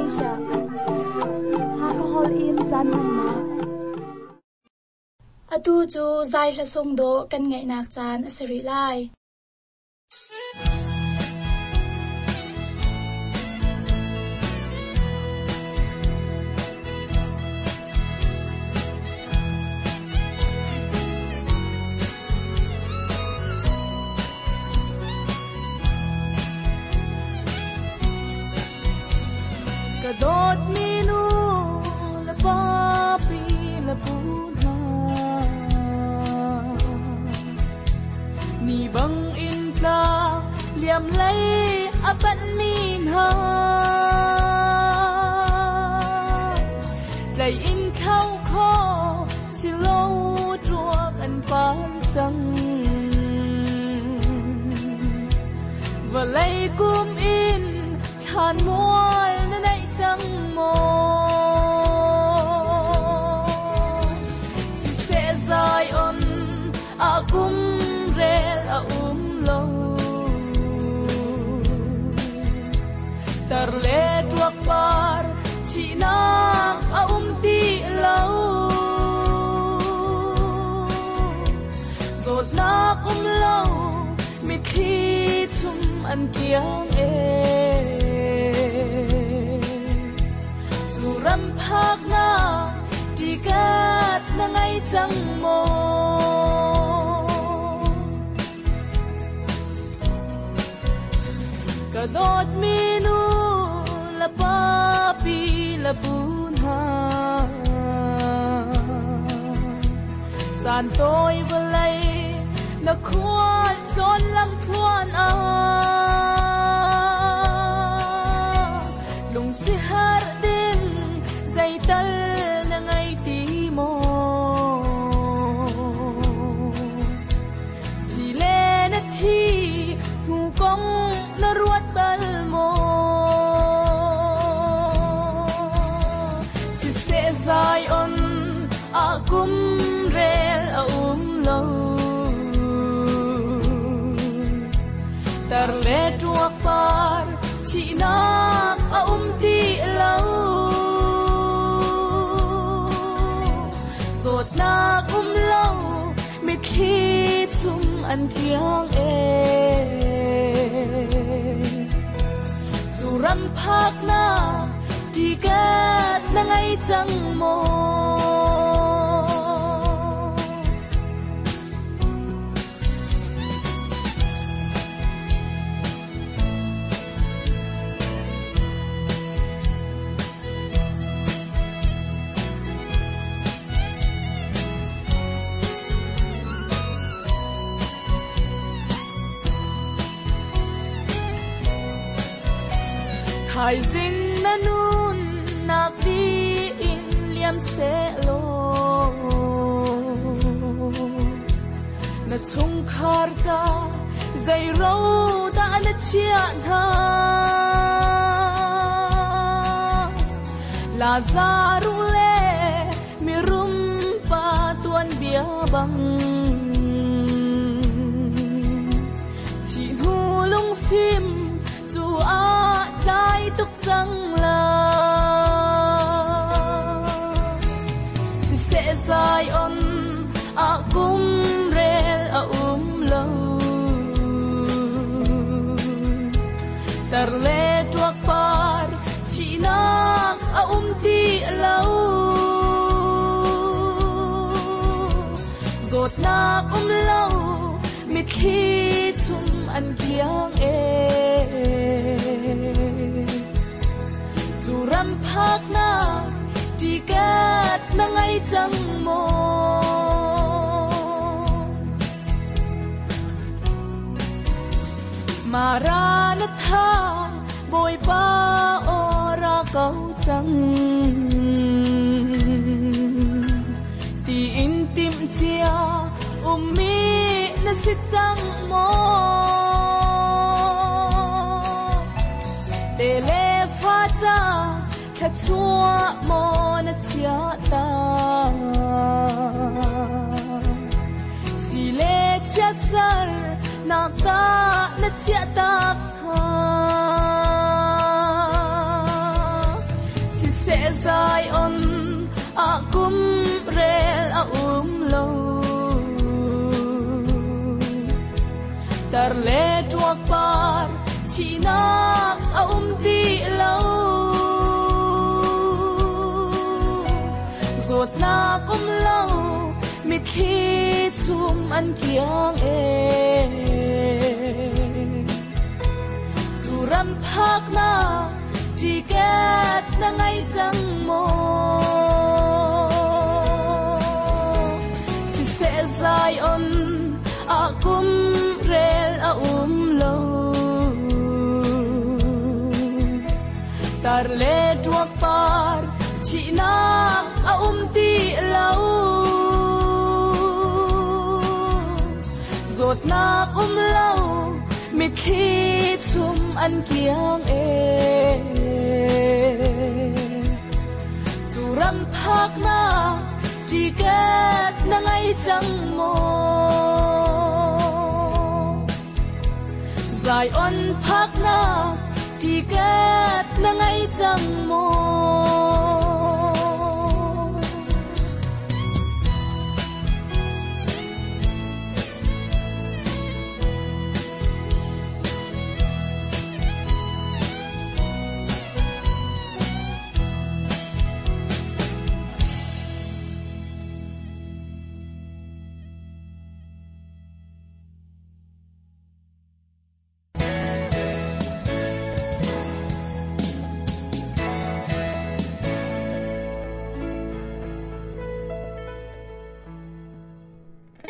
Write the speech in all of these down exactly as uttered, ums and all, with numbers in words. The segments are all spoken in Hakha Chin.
Malaysia. Hakha holh in caan hmannak. Atu cu zai hla sung dawh kan ngaihnak caan a si rih lai. Kadot minu la papi la puna ni bang in tla liam lei apan min ha lei in thau kho si lo truak an pan chang và lei kum in than mual na nei chang mo si se zai on a kum rel a um lo tar le tuak par chi nak a um ti lo zot nak um lo mi thi chum an kiang e ram phak na ti kat na ngai chang mo ka dot mi nu la pa pi la bun ha chan toi va lei na khual ton lam thuan a lung si har ding zai tal na ngai ti mo si le na thi hu kong na ruat bal mo si se zai on a kum rel a um lo tar le tuak par chi nak a um ti lo zot nak um lo mi thi chum an kiang e zu ram phak na ti kat na ngai chang mo Hai zing na nun nak di in liam se lo na chung khar cha zai ro da na chia na la za ru le mi rum pa tuan bia bang chi hu lung phim chu a lai tuk chang la si se zai on a kum rel a um lo tar le tuak par chi nak a um ti lo zot nak um lo mi thi chum an kiang e ram phak na ti kat na ngai chang mo Maranatha boy pa ora kau chang ti in tim chia ummi na si chang mo tele fa cha tha chua mo na chia ta si le chia sar na ta na chia ta kha Mitthli chum an kiang e Zu ram phak na ticket na ngai chang mo Si se Zion a kum rel a um lo Tar le tuak par chi na a um ti lo Zot nak um lo mitthli chum an kiang e Zu ram phak na ticket na ngai chang mo Zion phak na ticket na ngai chang mo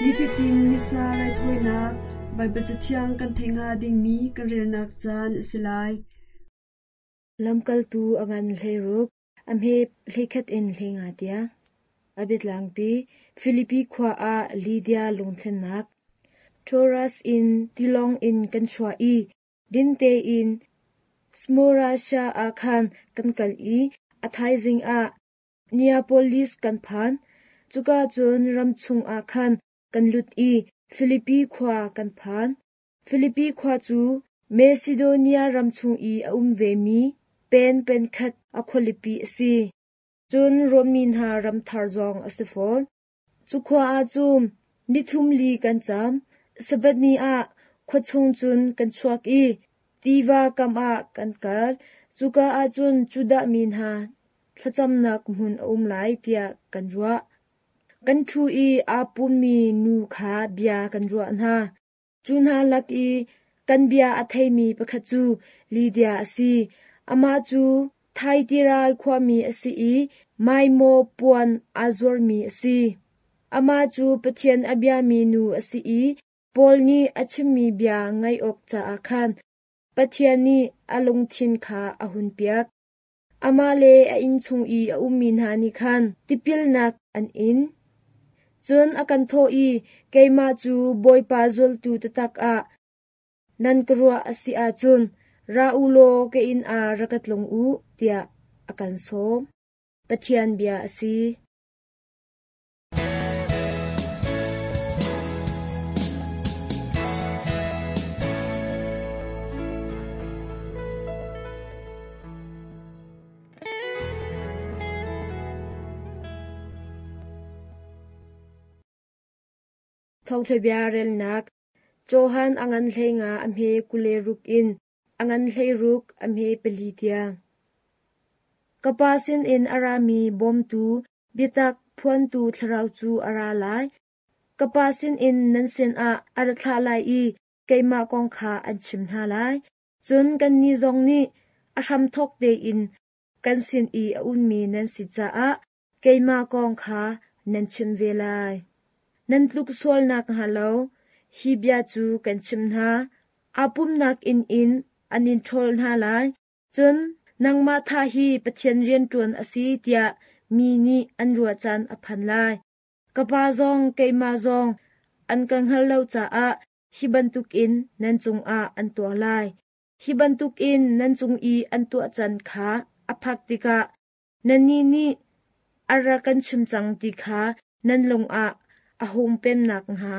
Nifatin Missa raithawinak Baibal Cathiang kan theih hnga dingmi kan relnak caan a si lai. Lamkaltu a ngan hleiruk, a hme hleikhat in hleinga tiang. A biatlangpi Filipi khua ah Lydia lungthlennak. Troas in tilawng in kan chuah i dinte in Samothrace ah khan kan kal i a thaizing ah Neapolis kan phan. Cuka cun ram chung ah khan kan lut i Filipi khua kan phan. Filipi khua cu Macedonia ram chung i a um vemi pen pen khat a khualipi a si. Cun Rom mi hna ram thar zong a si fawn. Cu khua ah cun nithum li kan cam. Sabbath ni ah khua chung cun kan chuak i tiva kam ah kan kal. Cuka ah cun Judah mi hna thlacamnak hmun a um lai tiah kan ruah. Kan ṭhu i aa pummi nu kha bia kan ruah hna. Cu hna lak i kan bia a theimi pakhat cu Lydia a si. Amah cu Thyatira khuami a si i maimaw puan aa zuarmi a si. Amah cu Pathian a biami nu a si i Paul nih a chimmi bia ngaih awk caah khan Pathian nih a lungthin kha a hunpiak. Amah le a innchung i a ummi hna nih khan tipilnak an in. Cun a kan thawh i keimah cu Bawipa zultu taktak ah nan ka ruah a si ahcun ra u law ka inn ah ra ka tlung u, tiah a kan sawm. Pathian bia a si. Thawngṭha bia relnak Johan a ngan hleinga a hme kule ruk in a ngan hleiruk a hme pali tiang. Ka pa sinin a rami bawmtu biatak phuantu thlarau cu a ra lai. Ka pa sinin nan sinah a ra thlah lai i keimah kong kha an chim hna lai. Cun kannih zong nih a hramthawk tein kan sin i a ummi nan si caah keimah kong kha nan chim ve lai. Nan tluk sualnak hnga lo, hi bia cu kan chim hna. Aa pumnak inn in an in ṭhawl hna lai. Cun nangmah tha hi Pathian rianṭuan a si tiah mi nih an ruah caan a phan lai. Ka pa zong keimah zong an ka hngal lo caah hi bantukin nan cungah an tuah lai. Hi bantukin nan cung i an tuah caan kha a phak tikah nannih nih a rak kan chim cang ti kha nan lungah a hung pemnak hnga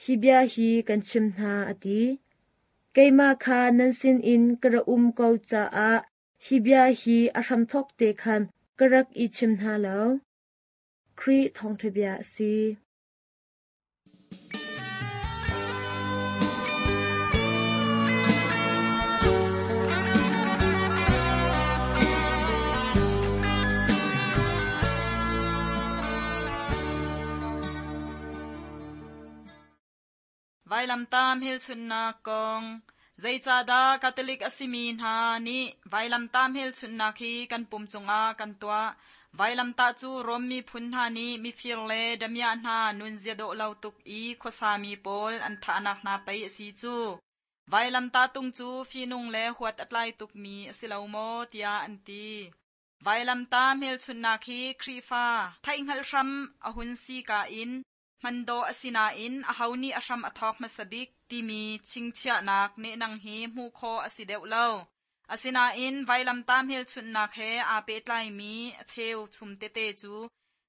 hi bia hi kan chim hna a ti. Keimah kha nan sinin ka ra um ko caah hi bia hi a hramthawk te khan ka rak i chim hna lo. Khrih thawngṭha bia a si. Vailamta hmelchunhnak kong. Zeicahdah Catholic a simi hna nih vailamta hmelchunhnak hi kan pum cungah kan tuah? Vailamtah cu Rom miphun hna nih mifir le damiah hna nunzia dawh lo tuk i khuasami pawl an thahnak hna pei a si cu. Vailamtah tung cu fihnung le huat a tlai tukmi a si lo maw tiah an ti. Vailamtah hmelchunhnak hi Khrihfa theihhngalh hram a hun si ka in hman dawh a si nain aho nih a hram a thawk hmasa bik timi chingchiahnak nehnang hi hmuh khawh a si deuh lo. Asinain vailamtah hmelchunhnak he aa pehtlaimi a cheu chum tete cu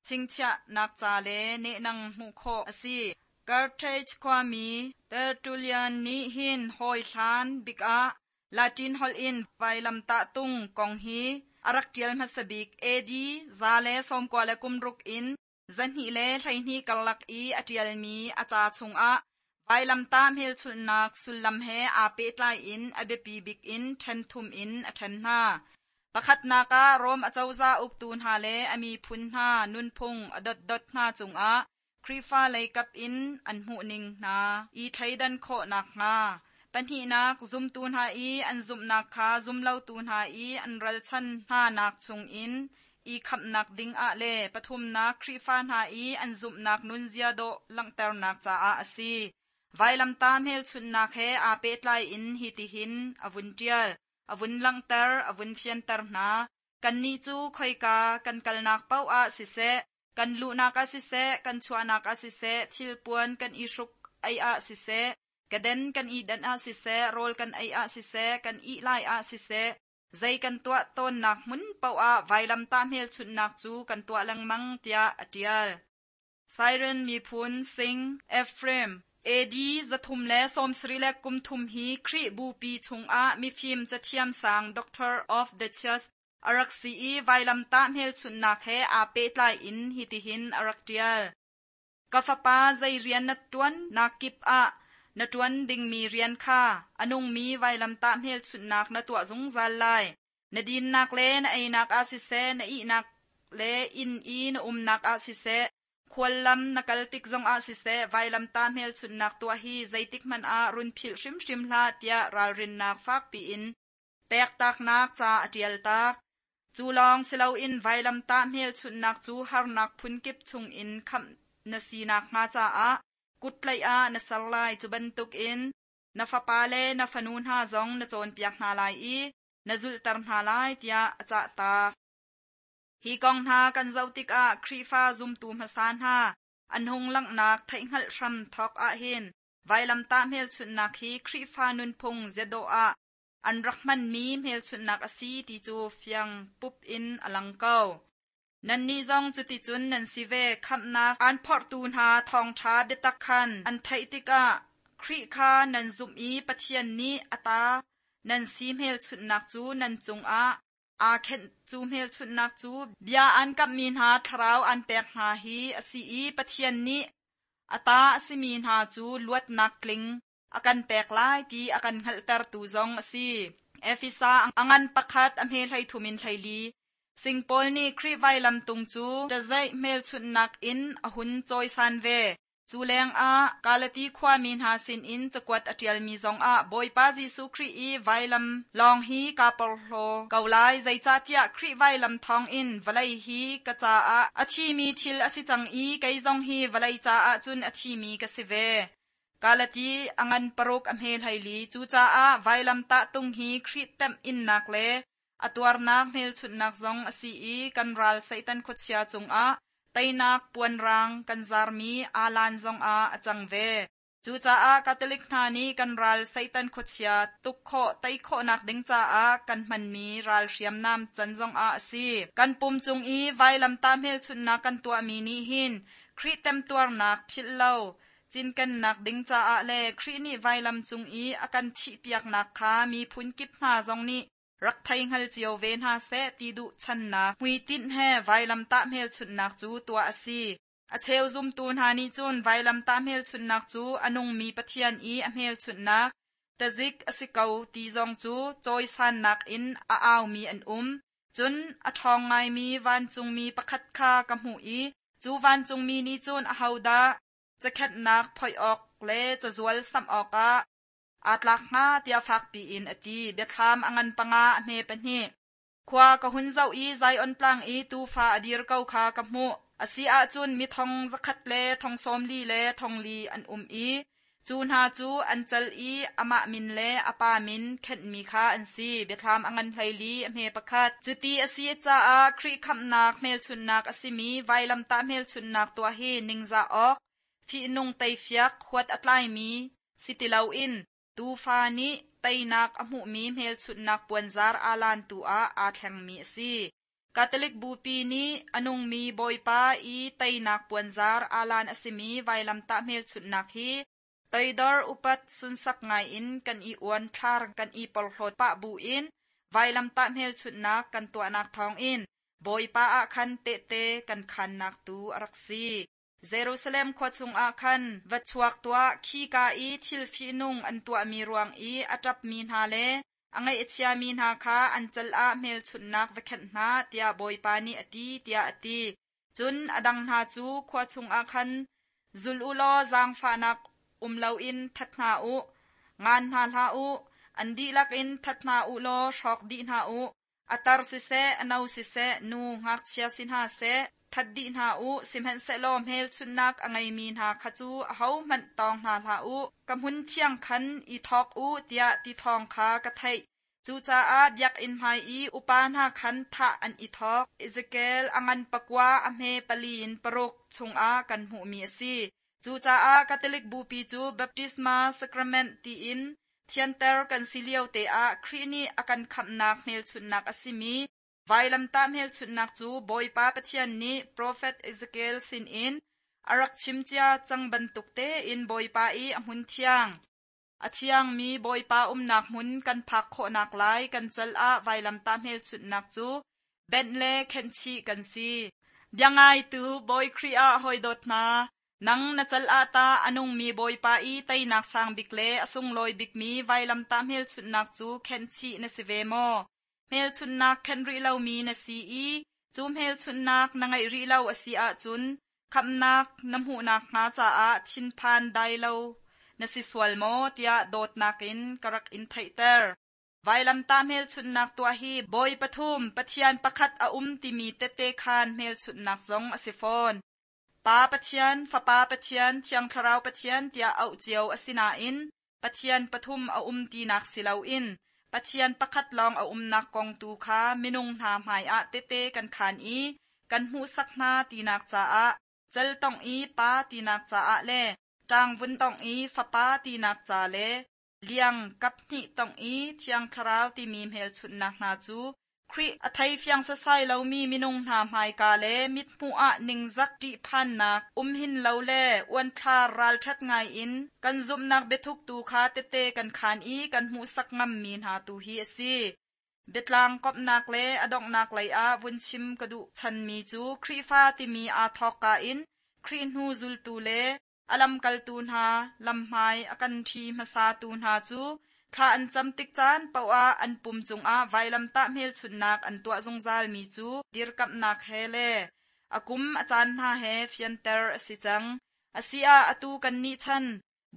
chingchiahnak ca le nehnang hmuh khawh a si. Carthage khuami Tertullian nih hin hawi hlan bik ah Latin holh in vailamtah tung kong hi a rak ṭial hmasa bik AD za le sawmkua le kum ruk in zahnih le hleihnih karlak i a ṭialmi a ca chungah vailamtah hmelchunhnak sullam he aa pehtlai in a biapi bik in ṭhen thum in a ṭhen hna. Pakhatnak ah Rom acozah uktu hna le a miphun hna nunphung a dotdot hna cungah Khrihfa leikap in an hmuhning hna i thleidan khawhnak hnga. Pahnihnak zumtu hna i an zumhnak kha zumlotu hna i an ralchan hna nak chungin i khamhnak ding ah le pathumnak Khrihfa hna i an zumhnak nunzia dawh langhternak caah a si. Vailamtah hmelchunhnak he aa pehtlai in hitihin a vun ṭial, a vun langhter, a vun fianter hna. Kannih cu khoika kan kalnak paoh ah siseh, kan luhnak ah siseh, kan chuahnak ah siseh, thilpuan kan i hruk ei ah siseh, kaden kan i danh ah siseh, rawl kan ei ah siseh, kan ih lai ah siseh, zei kan tuah tawnnak hmun paoh ah vailamtah hmelchunhnak cu kan tuah lengmang tiah a ṭial. Siren miphun Sing Ephraim AD zathum le sawmsarih le kum thum hi Khrih bupi chungah mifim cathiam sang Doctor of the Church a rak si i vailamtah hmelchunhnak he aa pehtlai in hitihin a rak ṭial. Ka fapa zei rian na ṭuan nak kip ah na ṭuan dingmi rian kha a nungmi vailamtah hmelchunhnak na tuah zungzal lai. Na dinnak le na einak ah siseh, na ihnak le inn i na umnak ah siseh, khuallam na kal tik zong ah siseh, vailamtah hmelchunhnak tuah hi zeitik hmanh ah run philh hrimhrim hlah tiah ralrinnak fakpi in pektaknak ca a ṭial tak. Cu lawng si loin vailamtah hmelchunhnak cu harnak phunkip chungin khamh na sinak hnga caah kuttlaih ah na ser lai. Cu bantukin na fapa le na fanu hna zong na cawnpiak hna lai i na zulhter hna lai tiah a cahtak. Hi kong hna kan zoh tikah Khrihfa zumtu hmasa hna an hung langhnak theihhngalh hram thawk ahhin vailamtah hmelchunhnak hi Khrihfa nunphung ziadawh ah an rak hmanmi hmelchunhnak a si ti cu fiang pup in a lang ko. Nannih zong cuticun nan si ve. Khamhnak aan phorhtu hna thawngṭha biatak khan an theih tikah Khrih kha nan zumh i Pathian nih a ta nan si hmelchunhnak cu nan cungah aa khenh. Cu hmelchunhnak cu bia aan kamhmi hna thlarau aan pek hna hi a si i Pathian nih a ta a simi hna cu luatnak tling a kan pek lai ti a kan hngalhtertu zong a si. Efesa a ngan pakhat a hme hleithum in hleili. Sing Paul nih Khrih vailam tung cu ṭazeih hmelchunhnak in a hun cawisan ve. Cu lengah Galati khuami hna sinin cakuat a ṭialmi zongah Bawipa Jesuh Khrih i vailam lawng hi kaa porhlaw ko lai. Zeicahtiah Khrih vailam thawngin vawlei hi ka caah a thimi thil a si cang i kei zong hi vawlei caah cun a thimi ka si ve. Galati a ngan paruk a hme hleili. Cucaah vailamtah tung hi Khrih temh innak le a tuarnak hmelchunhnak zong a si i kan ral Satan khuachia cungah teinak puanrang kan zarmi alan zongah a cang ve. Cucaah Catholic hna nih kan ral Satan khuachia tuk khawh tei khawhnak ding caah kan hmanmi ral hriamnam can zongah a si. Kan pum cung i vailamtah hmelchunhnak kan tuahmi nih hin Khrih temtuarnak philh lo cinkennak ding caah le Khrih nih vailam cung i a kan thihpiaknak kha miphun kip hna zong nih rak thei hngal cio ve hna seh ti duh channak hmuitinh he vailamtah hmelchunhnak cu tuah a si. A cheu zumtu hna nih cun vailamtah hmelchunhnak cu a nungmi Pathian i a hmelchunhnak tazik a si ko ti zong cu cawisannak in a aumi an um. Cun a ṭhawng ngaimi vancungmi pakhat kha ka hmuh i cu vancungmi nih cun ahodah cakhenhnak phoih awk le cazual samh awkah aa tlak hnga tiah fakpi in a ti. Biathlam a ngan panga a hme pahnih. Khua ka hun zoh i Zion tlang i tuufa a dir ko kha ka hmuh. A si ahcun mi thong zakhat le thong sawmli le thong li an um i cu hna cu an cal i amah min le a pa min khenhmi kha an si. Biathlam a ngan hleili a hme pakhat. Cuti a si caah Khrih khamhnak hmelchunhnak a simi vailamtah hmelchunhnak tuah hi ningzah awk, fihnung teifiak huat a tlaimi si ti loin tuufa nih teinak a hmuhmi hmelchunhnak puanzar aa lantu ah aa thlengmi a si. Catholic Bupi nih a nungmi Bawipa i teinak puanzar aa lan a simi vailamtah hmelchunhnak hi toidor upat sunsak ngaiin kan i uan thlar kan i porhlawt pah buin vailamtah hmelchunhnak kan tuahnak thawngin Bawipa ah khan tehte kan khannak tu a rak si. Jerusalem khua chungah khan va chuak tuah khika i thil fihnung an tuahmi ruang i a ṭapmi hna le a ngaih a chiami hna kha an cal ah hmelchunhnak va khenh hna tiah Bawipa nih a ti tiah a ti. Cun a dang hna cu khua chungah khan zul u law zaangfahnak um loin that hna u, ngan hna hlah u, an dihlak in that hna u law hrawk dih hna u. A tar siseh, a no siseh, nu ngakchia si hna seh, that dih hna u, sihmanhsehlaw hmelchunhnak a ngeimi hna kha cu ahohmanh tawng hna hlah u. Ka hmun thiang khan i thawk u tiah ti thawng kha ka theih. Cucaah biakinn hmai i upa hna khan thah an i thawk. Ezekiel a ngan pakua a hme pali in paruk chungah kan hmuhmi a si. Cucaah Catholic Bupi cu Baptisma Sacrament tiin thianter kan si lio te ah Khrih nih a kan khamhnak hmelchunhnak a simi vailamtah hmelchunhnak cu Bawipa Pathian nih Profet Ezekiel sinin a rak chimcia cang bantuk tein Bawipa i a hmun thiang. A thiangmi Bawipa umnak hmun kan phak khawhnak lai kan cal ah vailamtah hmelchunhnak cu benh le khenhchih kan si. Biangaitu Bawi Khrih ah hawidawt hna, nang na cal ah ta a nungmi Bawipa i teinak sang bik le a sunglawi bikmi vailamtah hmelchunhnak cu khenhchih na si ve maw? Hmelchunhnak khenh rih lomi na si i cu hmelchunhnak na ngeih rih lo a si ahcun khamhnak na hmuhnak hnga caah thinphan dai lo na si sual maw tiah dawtnak in ka rak in theihter. Vailamtah hmelchunhnak tuah hi Bawi pathum Pathian pakhat a um timi tette khan hmelchunhnak zong a si fawn. Pa Pathian, Fapa Pathian, Thiang Thlarau Pathian tiah auh cio a si nain Pathian pathum a um tinak si loin Pathian pakhat lawng a umnak kong tu kha minung hna hmaiah tete kan khan i kan hmuhsak hna tinak caah cal tong i pa tinak caah le ṭang vun tong i fapa tinak ca le liang kap hnih tong i Thiang Thlarau timi hmelchunhnak hna cu Khrih a thei fiang sasai lomi minung hna hmaika le mithmuh ah ningzak ṭihphannak um hin lo le uanthlar ralṭhat ngai in kan zumhnak biathuk tu kha tete kan khan i kan hmuhsak ngammi hna tu hi a si. Biatlang komhnak le a donghnak lei ah vun chim ka duh chanmi cu Khrihfa timi aa thawkka in Khrih hnu zultu le a lamkaltu hna lamhmai a kan ṭhi hmasatu hna cu thla an cam tik caan paoh an pum cungah vailamtah hmelchunhnak an tuah zungzalmi cu dirkamhnak he le a kum a caan hna he fianter a si cang. A si ah atu kan nih chan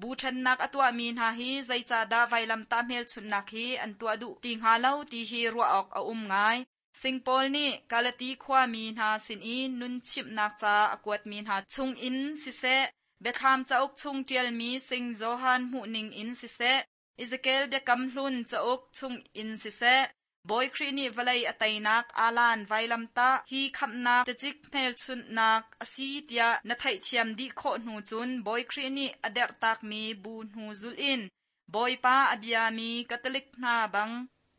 bu ṭhennak a tuahmi hna hi zeicahdah vailamtah hmelchunhnak hi an tuah duh ti hnga lo ti hi ruah awk a um ngai. Singpaul nih Galati khuami hna sin i nun chimhnak ca a kuatmi hna chungin siseh, Biathlam cauk chung ṭialmi Sing Johan hmuhning in siseh, Ezekiel biakam hlun cauk chung in siseh, Bawi Khrih nih vawlei a teinak alan vailamtah hi khamhnak tacik hmelchunhnak a si tiah na theihthiam dih khawh hnu cun Bawi Khrih nih a derhtakmi bu hnu zulh in Bawipa a biami Catholic hna bang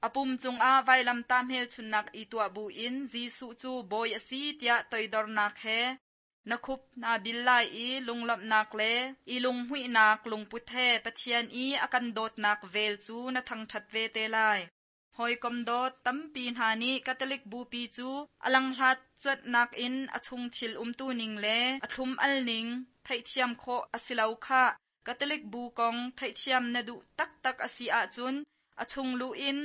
a pum cungah vailamtah hmelchunhnak i tuah buin Jesuh cu Bawi a si tiah toidornak he na khup na bil lai i lunglawmhnak le i lunghmuihnak lungput he Pathian i a kan dawtnak vel cu na thangṭhat ve te lai. Hawikom dawt tampi hna nih Catholic Bupi cu a langhlat cuanhnak in a chung thil umtu ning le a thlum al ning theihthiam khawh a si lo khah. Catholic bu kong theihthiam na duh taktak a si ahcun a chung lu in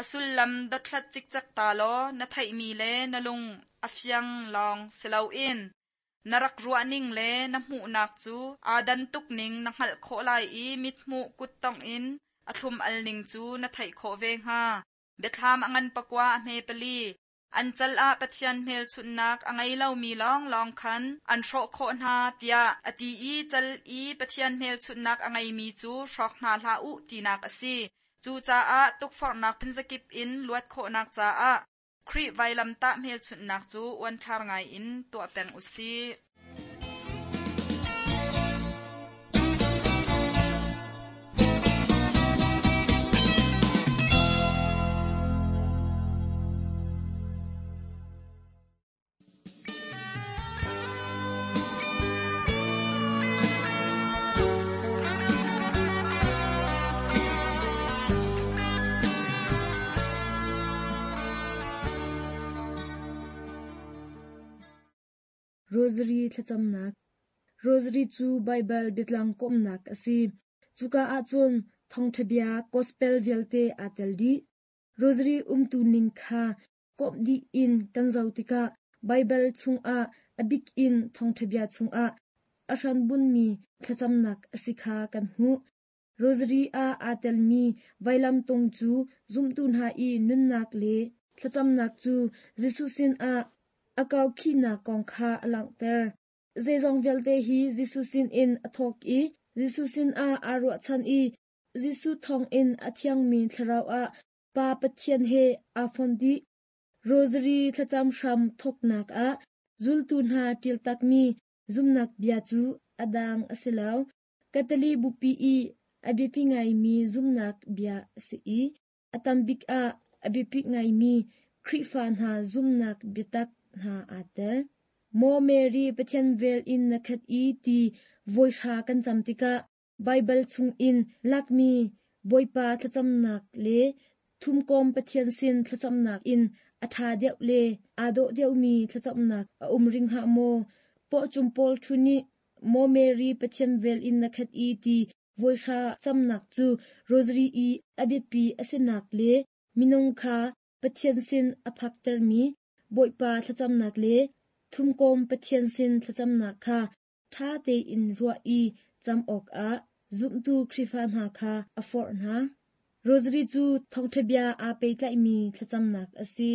a sullam dothlat cikcek ta law na theihmi le na lung a fiang lawng si loin Na rak ruahning le na hmuhnak cu aa dan tuk ning na hngalh khawh lai i mithmuh kuttongh in a thlum al ning cu na theih khawh ve hnga. Biathlam a ngan pakua a hme pali. An cal ah Pathian hmelchunhnak a ngei lomi lawnglawng khan an hrawh khawh hna tiah a ti i cal i Pathian hmelchunhnak a ngeimi cu hrawk hna hlah u tinak a si. Cucaah tukforhnak phunzakip in luat khawhnak caah Khrih vailamtah hmelchunhnak cu uanthlar ngai in tuah peng u sih. Rosary thlacamnak. Rosary cu Baibal biatlang kawmnak a si. Cuka ahcun thawngṭha bia gospel vialte aa tel dih. Rosary umtu ning kha kawmh dih in kan zoh tikah Baibal chungah a bik in thawngṭha bia chungah a hranbunmi thlacamnak a si kha kan hmuh. Rosary ah aa telmi vailamtung cu zumtu hna i nunnak le thlacamnak cu Jesuh sinah a kaukhinak kong kha a langhter. Zeizong vialte hi Jesuh sinin a thawk i Jesuh sinah aa ruahchan i Jesuh thawngin a thiangmi thlarau ah Pa Pathian he aa fon dih. Rosary thlacam hram thawknak ah zultu hna ṭiltakmi zumnak bia cu a dang a si lo. Catholic bupi i a biapi ngaimi zumnak bia a si i a tambik ah a biapi ngaimi Khrihfa hna zumnak biatak hna aa tel. Maw Mary Pathian vel in na khat i ti voihra kan cam tikah Baibal chungin lakmi Bawipa thlacamnak le thumkawm Pathian sin thlacamnak in a ṭha deuh le aa dawh deuhmi thlacamnak a um ring hnga maw? Pawcum pawl thu nih Maw Mary Pathian vel in na khat i ti voihra camnak cu Rosary i a biapi a sinak le minung kha Pathian sin a phaktermi Bawipa thlacamnak le thumkawm Pathian sin thlacamnak kha ṭha tein ruah i cam awkah zumtu Khrihfa hna kha a forh hna. Rosary cu thawngṭha bia aa pehtlaihmi thlacamnak a si.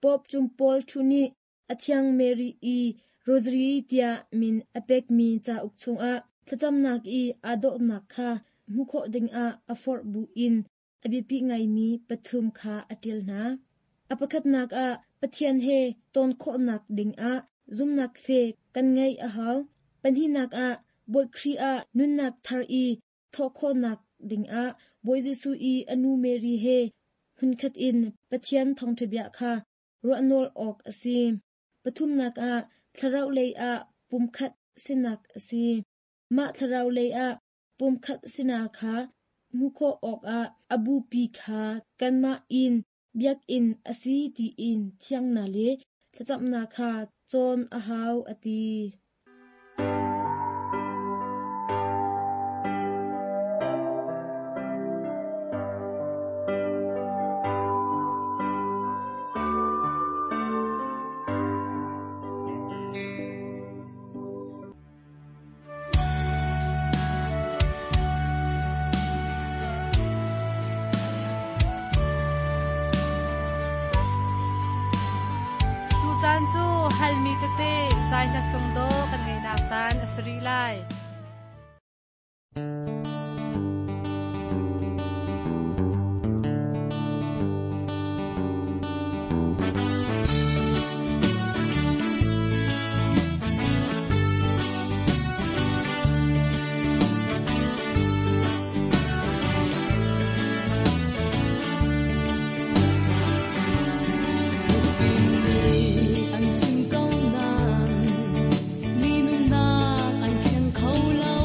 Pope Cung Paul Thu nih a thiang Mary i Rosary tiah min a pekmi cauk chungah thlacamnak i aa dawhnak kha hmuh khawh dingah a forh buin a biapi ngaimi pathum kha a ṭial hna. A pakhatnak ah Pathian he ton khawhnak dingah zumnak fe kan ngeih a hau. Pahnihnak ah Bawi Khrih ah nunnak thar i thawh khawhnak dingah Bawi Jesuh i a nu Mary he hmunkhat in Pathian thawngṭha bia kha ruahnawl awk a si. Pathumnak ah thlarau lei ah pumkhat sinak a si. Mah thlarau lei ah pumkhat sinak kha hmuh khawh awkah a bupi kha kanmah in biakinn a si tiin thiangnak le thlacamnak kha cawn a hau a ti. Tutan cu halmi tete zai hla sung do kan ngeinak caan a si rih lai. An chim ko nan mi nunnak an thleng kho lo.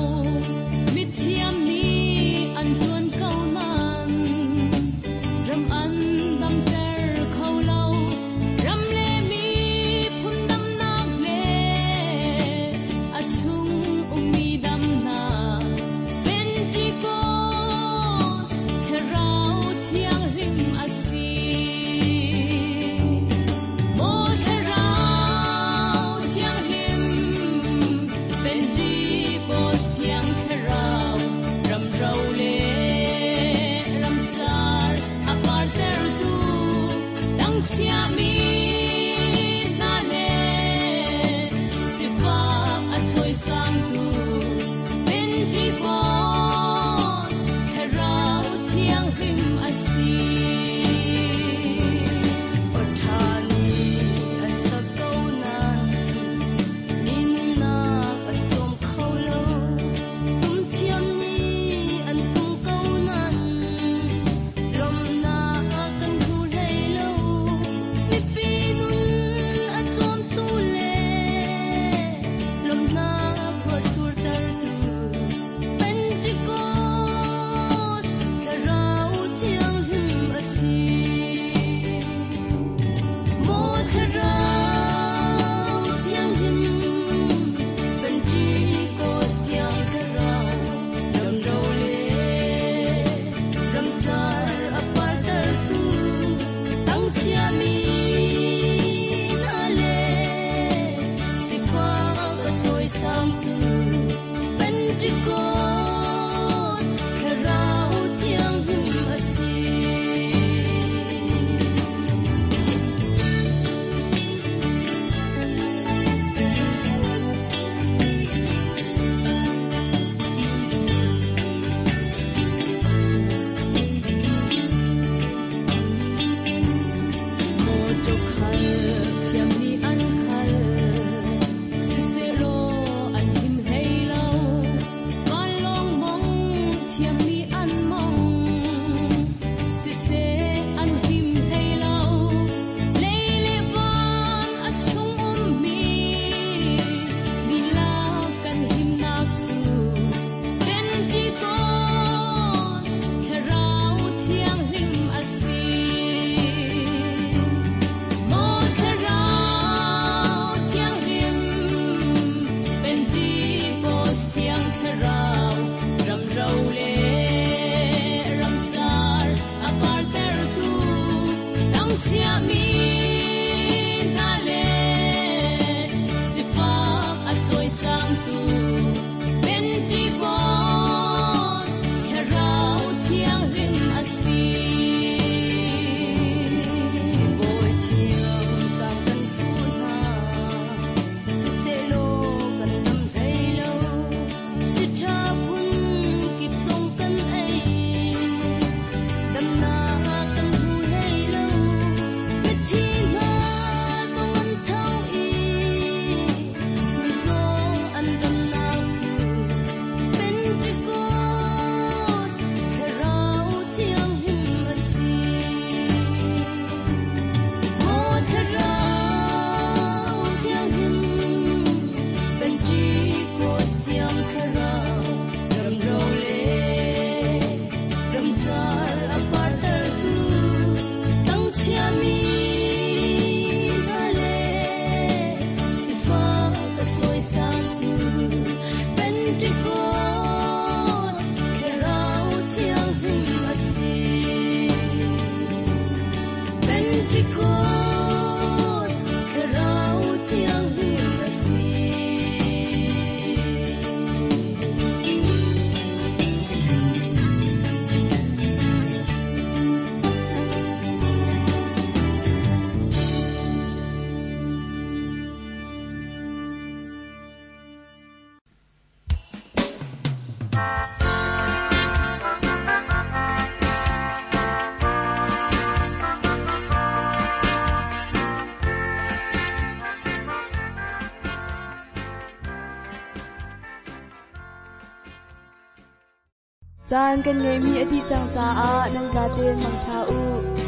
Caan kan ngeihmi a dih cang caah nan zaten mangṭha u.